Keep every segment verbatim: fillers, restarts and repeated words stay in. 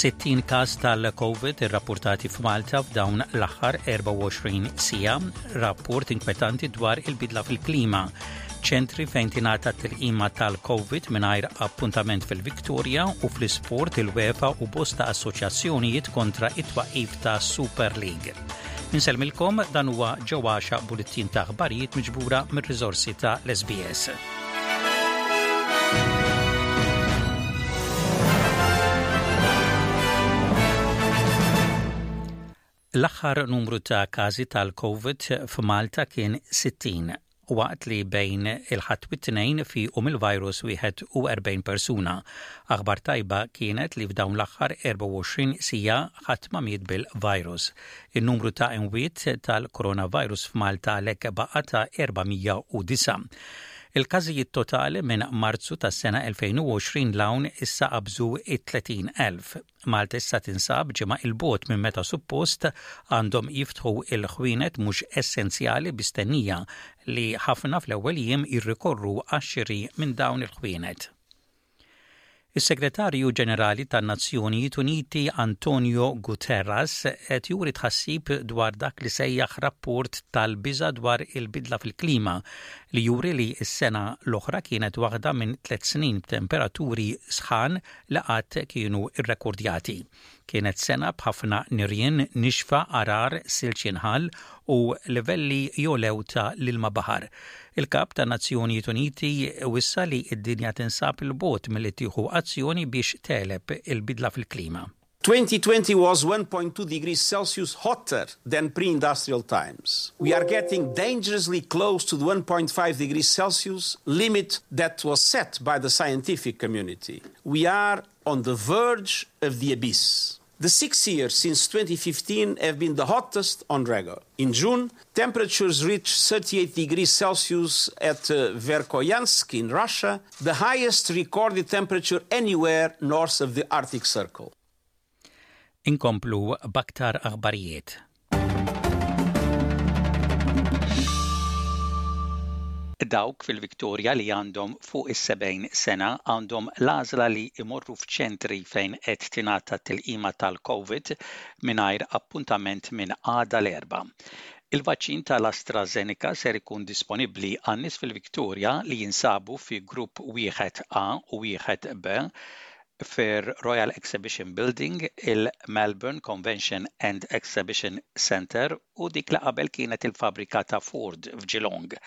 Sittin każ tal-Covid irrappurtati f'Malta f'dawn l-aħħar erbgħa u għoxrin siegħa, rapport inkwetanti dwar il-bidla fil-klima. Ċentri fejn tingħata t-tilqima tal-Covid mingħajr appuntament fil-Victoria u fl-isport il-UEFA u bosta assoċjazzjonijiet kontra it-twaqif ta' Super League. Insellmilkom, dan huwa Ġewwaxa bulletin ta' aħbarijiet miġbura mir-riżorsi ta' l-S B S. L-aħħar numru ta' każi tal-Covid f'Malta kien sittin, waqt li bejn il-Ħadd u t-Tnejn fiequ mill-virus wieħed u erbgħin persuna. Aħbar tajba kienet li f'dawn l-aħħar erbgħa u għoxrin siegħa ħadd ma miet bil-virus. Il-numru ta' imwiet tal-coronavirus f'Malta għalhekk baqa' ta' erba' mija u disgħa. Il-każijiet totali minn Marzu tas-sena elfejn u għoxrin 'l hawn issa qabżu it-tletin elf. Malta issa tinsab ġimgħa 'il bogħod minn meta suppost għandhom jiftħu il-ħwienet mhux essenzjali, b'istennija li ħafna fl-ewwel jiem jirrikorru għax-xiri minn dawn il-ħwienet. Is-Segretarju Ġenerali tan-Nazzjonijiet Uniti Antonio Guterres qed juri tħassib dwar dak li sejjaħ rapport tal-biża dwar il-bidla fil-klima li juri li s-sena l-oħra kienet waħda minn tliet snin b'temperaturi sħan li qatt kienu irrekordjati. Kienet sena b'ħafna nirien, nixfa, għargħar, silġ jinħall u livelli jogħlew ta' l-ilma baħar. Il-kap ta' Nazzjonijiet Uniti wissa li id-dinja tinsab 'il bogħod milli tieħu azzjoni biex tegħleb il-bidla fil-klima. twenty twenty was one point two degrees Celsius hotter than pre-industrial times. We are getting dangerously close to the one point five degrees Celsius limit that was set by the scientific community. We are on the verge of the abyss. The six years since twenty fifteen have been the hottest on record. In June, temperatures reached thirty-eight degrees Celsius at uh, Verkhoyansk in Russia, the highest recorded temperature anywhere north of the Arctic Circle. Inkomplu b'aktar aħbarijiet. Dawk fil-Viktoria li għandhom fuq is-sebgħin sena għandhom l-għażla li imorru f'ċentri fejn qed tingħata tilqima tal-Covid mingħajr appuntament minn għada l-Erbgħa. Il-vaċċin tal-AstraZeneca ser ikun disponibbli għan-nies fil-Viktoria li jinsabu fi grupp wieħed A u wieħed B fir Royal Exhibition Building, il-Melbourne Convention and Exhibition Center u dik li qabel kienet il-fabrika ta' Ford f'Geelong.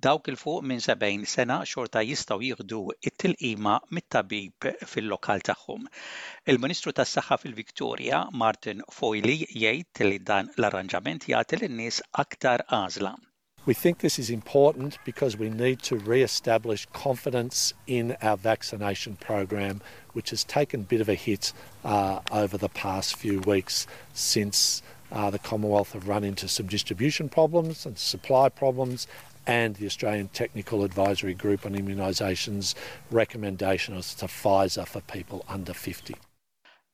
Dawk 'il fuq minn sebgħin sena xorta jistgħu jieħdu it-tilqima mit-tabib fil-lokal tagħhom. Il-Ministru tas-Saħħa fil-Victoria, Martin Foley, jgħid li dan l-arranġament jagħti lin-nies aktar għażla. We think this is important because we need to re-establish confidence in our vaccination program, which has taken a bit of a hit uh, over the past few weeks since uh, the Commonwealth have run into some distribution problems and supply problems, and the Australian Technical Advisory Group on Immunisations recommendation is to Pfizer for people under fifty.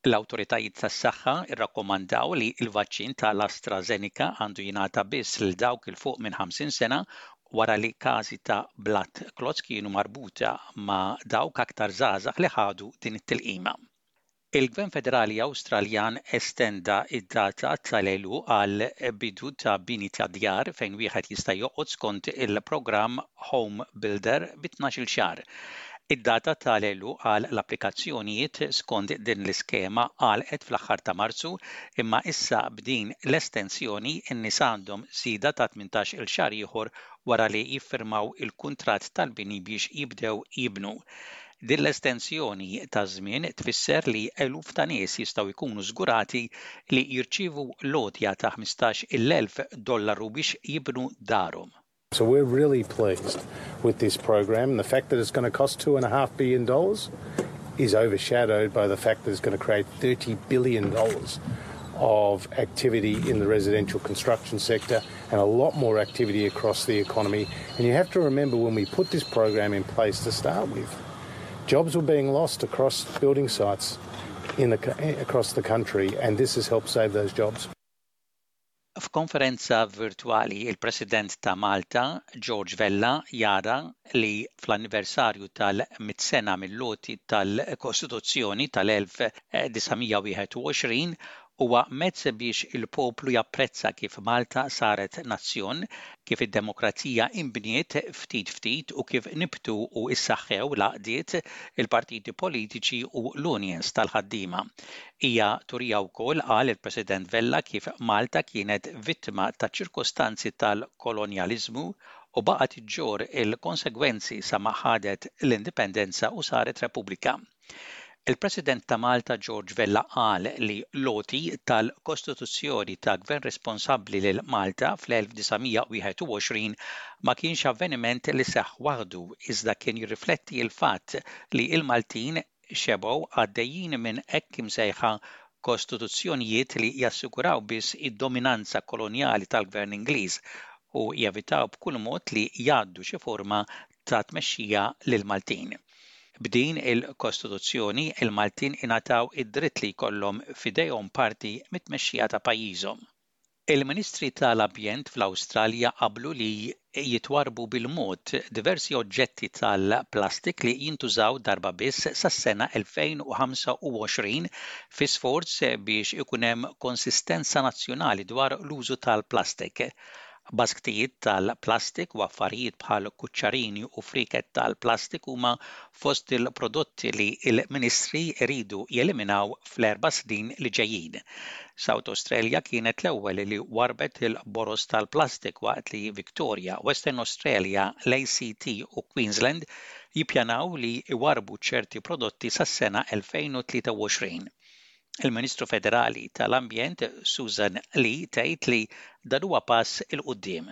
L-awtoritajiet tas-saħħa irrakkomandaw li l-vaċċin tal-AstraZeneca għandu jingħata biss lil dawk 'il fuq minn ħamsin sena wara li każi ta' blood clots kienu marbuta ma' dawk aktar żgħażagħ li ħadu din it-tilqima. Il-Gvern Federali Awstraljan estenda id-data tal-għeluq għal bidu ta' bini ta' djar fejn wieħed jista' joqgħod skont il-programm Home Builder bi tnax-il xahar. Id-data tal-għeluq għal l-applikazzjonijiet skont din l-iskema għalqet fl-aħħar ta' Marzu, imma issa b'din l-estensjoni n-nies għandhom żieda ta' tmintax-il xahar ieħor wara li jiffirmaw il-kuntratt tal-bini biex jibdew jibnu. Din l-estensjoni ta' żmien tfisser li eluf ta' nies jistgħu jkunu żgurati li jirċievu l-għotja ta' ħmistax-il elf dollaru biex jibnu darhom. So we're really pleased with this program. The fact that it's going to cost two and a half billion dollars is overshadowed by the fact that it's going to create thirty billion dollars of activity in the residential construction sector and a lot more activity across the economy. And you have to remember, when we put this program in place to start with, jobs were being lost across building sites in the, across the country, and this has helped save those jobs. F'konferenza virtwali, il-President ta' Malta, George Vella, jara li fl-anniversarju tal-mitt sena mill-għoti tal-Kostituzzjoni tal-elf disa' mija wieħed u għoxrin huwa mezz biex il-poplu japprezza kif Malta saret nazzjon, kif id-demokrazija imbniet ftit ftit u kif nibtu u issaħħew l-għaqdiet, il-partiti politiċi u l-unions tal-ħaddiema. Hija turija wkoll, qal il-President Vella, kif Malta kienet vittma ta' ċirkostanzi tal-kolonjaliżmu u baqgħet iġġorr il-konsegwenzi sa ma ħadet l-indipendenza u saret Repubblika. Il-President ta' Malta George Vella qal li l-għoti tal-Kostituzzjoni ta' Gvern responsabbli lil Malta fl-elf disa' mija wieħed u għoxrin ma kienx avveniment li seħħ waħdu, iżda kien jirrifletti l-fatt li l-Maltin xebgħu għaddejjin minn hekk imsejħa kostituzzjonijiet li jassiguraw biss id-dominanza kolonjali tal-Gvern Ingliż u jevitaw b'kull mod li jgħaddu xi forma ta' tmexxija lil Maltin. B'din il-Kostituzzjoni, il-Maltin ingħataw id-dritt li jkollhom f'idejhom parti mit-tmexxija ta' pajjiżhom. Il-Ministri tal-Ambjent fl-Awstralja qablu li jitwarbu bil-mod diversi oġġetti tal-plastik li jintużaw darba biss sas-sena elfejn u ħamsa u għoxrin fi sforz biex ikun hemm konsistenza nazzjonali dwar l-użu tal-plastik. Basktijiet tal-plastik u affarijiet bħal kuċċarini u friket tal-plastik huma fost il-prodotti li il-ministri iridu jeliminaw fl-erba' snin li ġejjin. South Australia kienet l-ewwel li warbet il-boros tal-plastik, waqt li Victoria, Western Australia, l-A C T u Queensland jippjanaw li iwarbu ċerti prodotti sas-sena elfejn u tlieta u għoxrin. Il-Ministru Federali tal-Ambjent Susan Lee tgħid li dan huwa pass 'il quddiem.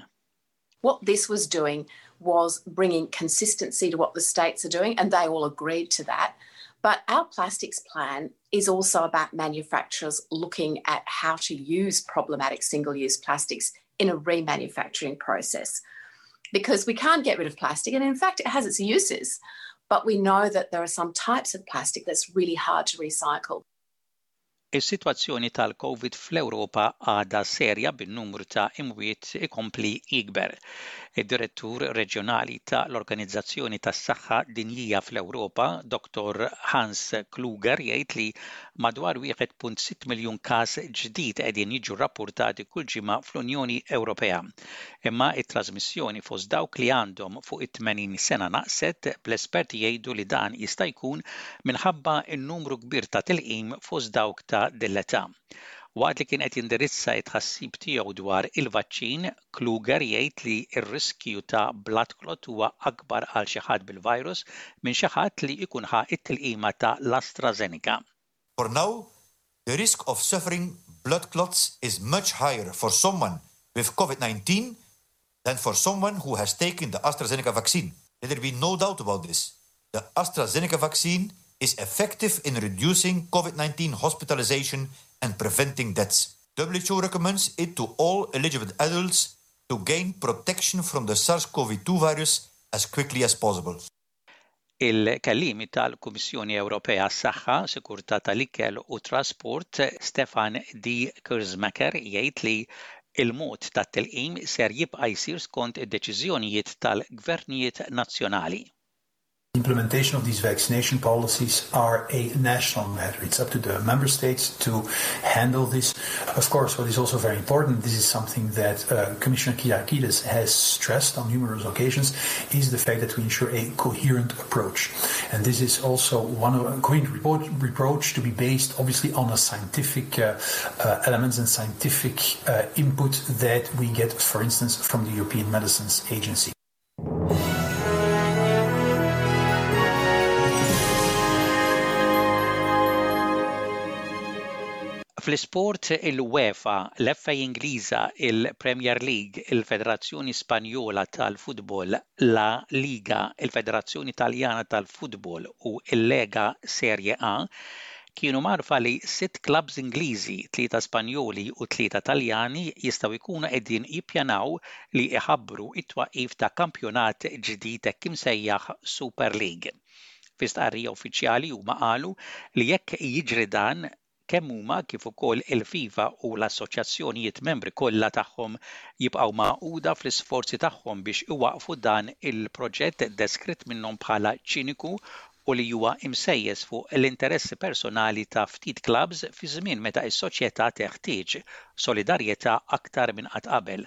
What this was doing was bringing consistency to what the states are doing, and they all agreed to that. But our plastics plan is also about manufacturers looking at how to use problematic single use plastics in a remanufacturing process. Because we can't get rid of plastic, and in fact, it has its uses. But we know that there are some types of plastic that's really hard to recycle. Is-sitwazzjoni tal-COVID fl-Ewropa għadha serja, bin-numru ta' imwiet ikompli jikber. Id-direttur reġjonali ta' l-Organizzazzjoni tas-Saħħa Dinjija fl-Ewropa, Doktor Hans Kluger, jgħid li madwar wieħed punt sitta miljun każ ġdid qegħdin jiġu rapportati kull ġimgħa fl-Unjoni Ewropea. Imma it-trasmissjoni fost dawk li għandhom fuq it-tmenin sena naqset, bl-esperti jgħidu li dan jista' jkun minħabba n-numru kbir ta' tilqim fost dawk ta' din l-età. Waqt li kien qed jindirizza t-tħassib tiegħu dwar il-vaċċin, Kluger jgħid li r-riskju ta' blood clot huwa akbar għal xi ħadd bil-virus minn xi ħadd li jkun ħa it-tilqima ta' l-AstraZeneca. For now, the risk of suffering blood clots is much higher for someone with COVID nineteen than for someone who has taken the AstraZeneca vaccine. Let there be no doubt about this. The AstraZeneca vaccine is effective in reducing COVID nineteen hospitalization and preventing deaths. W H O recommends it to all eligible adults to gain protection from the SARS-C o V two virus as quickly as possible. Il-kelliem tal-Kummissjoni Ewropea Saħħa, Sikurtà tal-Ikel u Trasport, Stefan De Keersmaecker, jgħid li il-mod tat-tilqim ser jibqa' jsir skont id-deċiżjonijiet tal-gvernijiet nazzjonali. Implementation of these vaccination policies are a national matter. It's up to the member states to handle this. Of course, what is also very important, this is something that uh, Commissioner Kyriakides has stressed on numerous occasions, is the fact that we ensure a coherent approach. And this is also one of a coherent approach to be based obviously on a scientific uh, uh, elements and scientific uh, input that we get, for instance, from the European Medicines Agency. Fl-isport, il-UEFA, l-F A Ingliża, il-Premier League, il-Federazzjoni Spanjola tal-Futbol, La Liga, il-Federazzjoni Taljana tal-Futbol u l-Lega Serie A kienu mgħarrfa li sitt klabs Ingliżi, tlieta Spanjoli u tlieta Taljani jistgħu jkunu qegħdin jippjanaw li iħabbru it-twaqqif ta' kampjonat ġdid hekk imsejjaħ Super League. Fi stqarrija uffiċjali huma qalu li jekk jiġri dan Kemm huma kif ukoll il-FIFA u l-assoċjazzjonijiet membri kollha tagħhom jibqgħu magħquda fl-isforzi tagħhom biex iwaqfu dan il-proġett deskritt minnhom bħala ċiniku u li huwa imsejjes fuq l-interessi personali ta' ftit clubs fi żmien meta s-soċjetà teħtieġ solidarjetà aktar minn qatt qabel.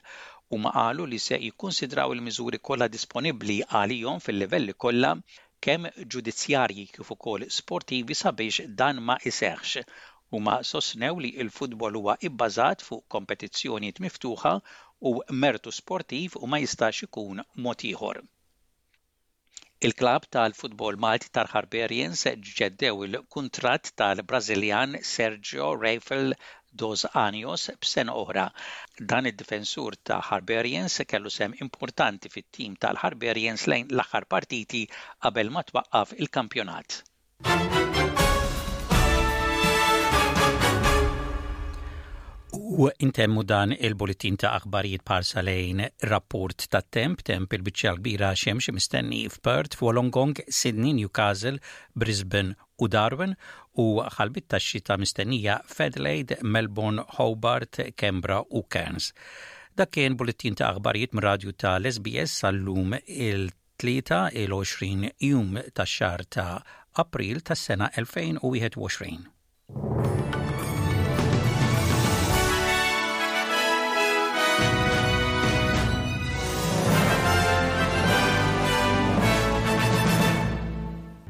Huma qalu li se jikkunsidraw il-miżuri kollha disponibbli għalihom fil-livelli kollha, kemm ġudizzjarji kif ukoll sportivi, sabiex dan ma iseħħx. Huma sostnew li l-futbol huwa ibbażat fuq kompetizzjonijiet miftuħa u mertu sportiv u ma jistax ikun mod ieħor. Il-klab tal-futbol Malti tal-Harbarians ġeddew il-kuntratt tal-Brażiljan Sergio Rafael dos Anjos b'sena oħra. Dan id-difensur ta' Harbarians kellu sehem importanti fit-tim tal-Harbarians lejn l-aħħar partiti qabel ma twaqqaf il-kampjonat. U intemmu dan il-bulletin ta' aħbarijiet b'ħarsa lejn rapport ta' temp, temp il-biċċa kbira xemx mistenni f'Perth, f'Wollongong, Sydney, Newcastle, Brisbane u Darwin u ħalbiet ta' xita mistennija f'Adelaide, Melbourne, Hobart, Canberra u Cairns. Dak kien bulletin ta' aħbarijiet mir-radju ta' l-S B S sal-lum, il-Tlieta, il-għoxrin jum tax-xahar ta' April tas-sena elfejn u wieħed u għoxrin.